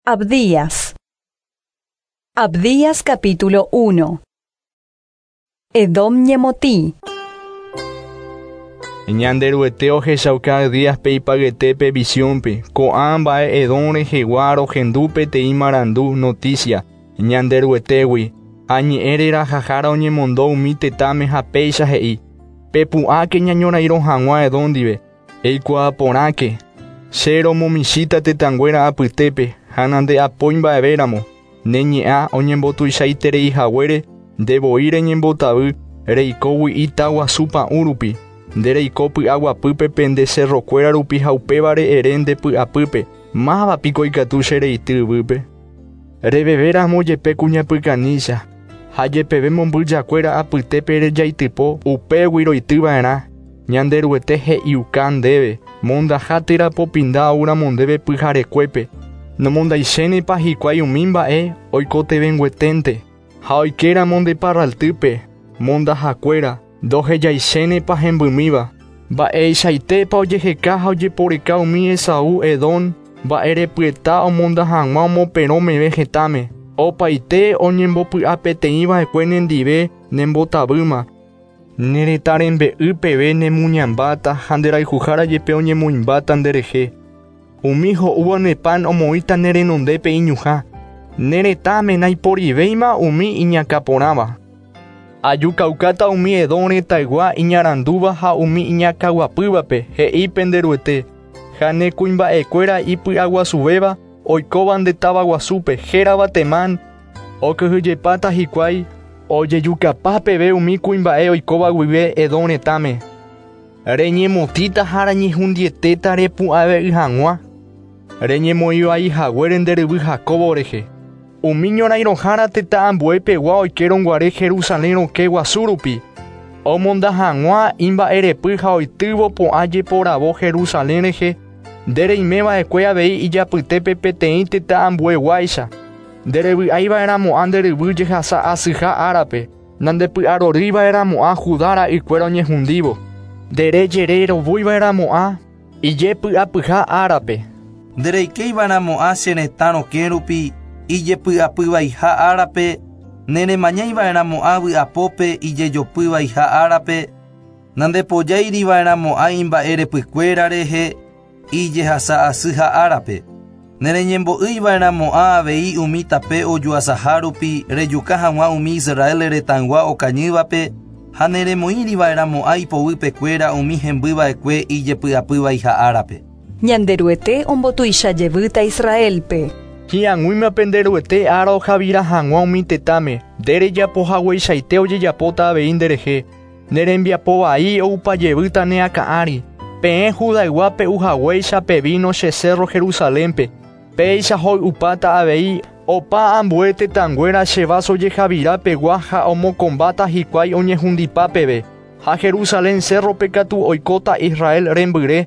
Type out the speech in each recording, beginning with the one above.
Abdías. Abdías capítulo 1. Edom ñemotĩ. Ñanderuete ohechauka Abdíaspe ipayetépe visiónpe, ko'ã mba'e Edom rehegua rohendu peteĩ marandu noticia Ñanderuetégui, ha ñe'ẽ rerahahára oñemondo umi tetãme ha péicha he'i: Pepu'ãke ñañorairõ hag̃ua Edom ndive, eikuaa porãke, che romomichĩta tetãnguéra apytépe ha nande'apói mba'evéramo, ne ñe'ã oñembotuichaitereihaguére ndevoi reñembotavy reikógui ita guasu pa'ũ rupi, nde reiko py'aguapýpe pende cerrokuéra rupi ha upévare ere nde py'apýpe, mávapiko ikatu che reity yvýpe. Revevéramo jepe kuñapykanícha, ha jepeve mombyjakuéra apytépe rejaitypo upégui roityva'erã, Ñanderuete he'iuka ndéve, mondaha térã popinda oúramo ndéve pyharekuépe, nomondaichénepa hikuái umi mba'e oikotevẽngueténte, ha oikéramo nde parraltýpe, mondahakuéra, ndohejaichénepa hembymíva, mba'eichaitépa ojeheka ha ojeporeka umi Esaú Edom mba'erepyeta omonda hag̃ua omoperõ meve hetãme, opaite oñembopy'apeteĩva'ekue nendive nembotavýma, ne retã rembe'y peve nemuñambáta ha nderayhuhára jepe oñemoĩmbáta nderehe. Umi ho'úva ne pan omoĩta ne renondépe iñuhã, ne retãme naiporivéima umi iñakãporãva. Ajukaukáta umi Edom retãygua iñarandúva ha umi iñakãguapývape, he'i penderuete, ha ne kuimba'ekuéra ipy'aguasuvéva oikóva nde táva guasúpe, hérava Temán, okyhyjepáta hikuái ojejukapa peve umi kuimba'e oikóva guive Edom retãme. Reñemotĩta ha reñehundietéta repu'ãve'ỹ hag̃ua, reñemoĩvaihaguére nde ryvy Jacobo rehe. Umi ñorairõhára tetã ambuepegua oikérõguare Jerusalén rokẽ guasu rupi, omonda hag̃ua imba'erepy ha oitývo po'a jeporavo Jerusalén rehe, nde reimeva'ekue avei ijapytépe peteĩ tetã ambueguáicha. Nde revy'aiva'erãmo'ã nde ryvy jehasa asyha árape, nandepy'arorýiva'erãmo'ã Judá ra'ykuéra oñehundívo. Nde rejererovuiva'erãmo'ã ijepy'apyha árape. Ndereikeiva'erãmo'ã che retã rokẽ rupi ijepy'apyvaiha árape, neremañaiva'erãmo'ã vy'apópe ijejopyvaiha árape, nandepojáiriva'erãmo'ã imba'erepykuéra rehe ijehasa asyha árape. Nereñembo'ýiva'erãmo'ã avei umi tape ojuasaha rupi rejuka hag̃ua umi Israel retãygua okañývape ha neremoĩriva'erãmo'ã ipoguýpekuéra umi hembyva'ekue ijepy'apyvaiha árape. Ñanderuete ombotuicha jevýta Israelpe. Hi'ag̃uíma penderuete ára ohavira hag̃ua umi tetãme, nde rejapohagueichaite ojejapóta avei nderehe, ne rembiapo vai oupajevýta ne akã ári. Peẽ Judaygua pe'uhaguéicha pe vino che cerro Jerusalénpe, péicha hoy'upáta avei opa ambue tetãnguéra che vaso jehavirapegua ha omokõmbáta hikuái oñehundipa peve, ha Jerusalén cerrope katu oikóta Israel rembyre,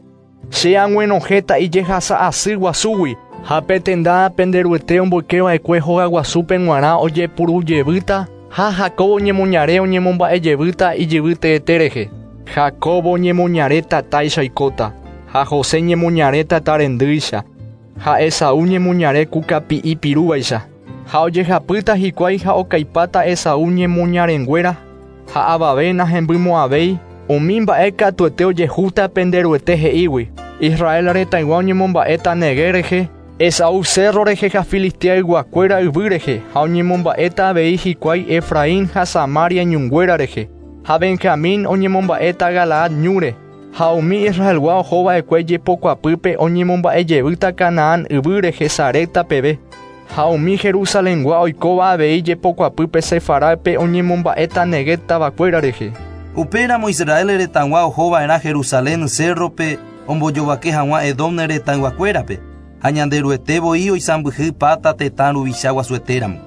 che ag̃uenohẽta ijehasa asy guasúgui, ha pe tenda penderuete omboykeva'ekue hogaguasúpe g̃uarã ojepurujevýta ha Jacobo ñemoñare oñemomba'ejevýta ijyvy teete rehe. Jacobo ñemoñare tatáicha oikóta, ha José ñemoñare tata rendýicha, ha Esaú ñemoñare ku kapi'i pirúvaicha, ha ojehapýta hikuái ha okaipáta Esaú ñemoñarenguéra, ha avave nahembymo'ãvéi, umi mba'e katuete ojehúta penderuete he'ígui. Israel retãygua oñemomba'éta Negev rehe, Esaú cerro rehe ha Filisteayguakuéra yvy rehe, ha oñemomba'éta avei hikuái Efraín ha Samaria ñunguéra rehe, ha Benjamín oñemomba'éta Galaad ñúre, ha umi Israelgua ohova'ekue jepokuapýpe oñemomba'ejevýta Canaán yvy rehe Sarepta peve, ha umi Jerusalengua oikóva avei jepokuapýpe Sefarápe oñemomba'éta Negev tavakuéra rehe. Upéramo Israel retãgua ohova'erã Jerusalén cerrope ombojovake hag̃ua Edom retãyguakuérape, ha Ñanderuete voi oisãmbyhy páta tetã ruvicha guasuetéramo.